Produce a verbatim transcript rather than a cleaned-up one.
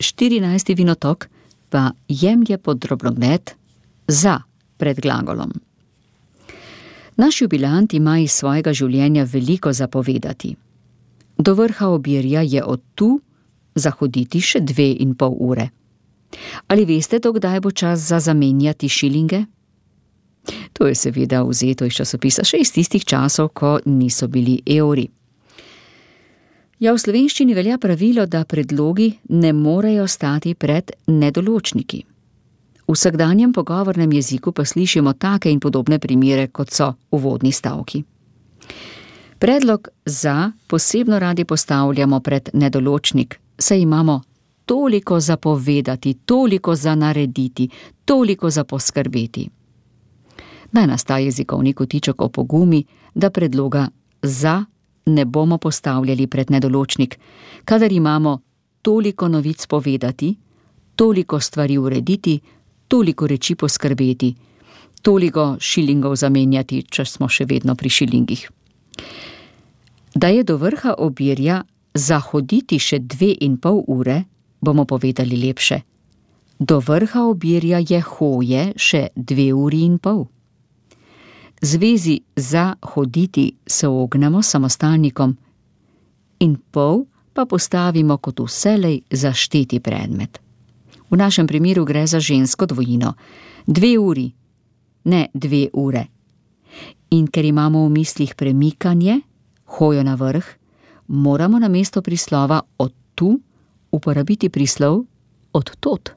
štirinajsti vinotok pa jemlje pod drobnogled za pred glagolom. Naš jubilant ima iz svojega življenja veliko zapovedati. Do vrha Obirja je od tu zahoditi še dve in pol ure. Ali veste, do kdaj bo čas za zamenjati šilinge? To je seveda vzeto iz časopisa še iz tistih časov, ko niso bili evri. Ja, v slovenščini velja pravilo, da predlogi ne morejo stati pred nedoločniki. V vsakdanjem pogovornem jeziku pa slišimo take in podobne primere, kot so uvodni stavki. Predlog za posebno radi postavljamo pred nedoločnik, saj imamo toliko za povedati, toliko za narediti, toliko za poskrbeti. Naj nas ta jezikovni kotiček opogumi, da predloga za ne bomo postavljali pred nedoločnik, kadar imamo toliko novic povedati, toliko stvari urediti, toliko reči poskrbeti, toliko šilingov zamenjati, če smo še vedno pri šilingih. Da je do vrha Obirja zahoditi še dve in pol ure, bomo povedali lepše. Do vrha Obirja je hoje še dve uri in pol. Zvezi za hoditi se ognemo samostalnikom in pol pa postavimo kot vselej zašteti predmet. V našem primeru gre za žensko dvojino. Dve uri, ne dve ure. In ker imamo v mislih premikanje, hojo na vrh, moramo namesto prislova od tu uporabiti prislov od tod.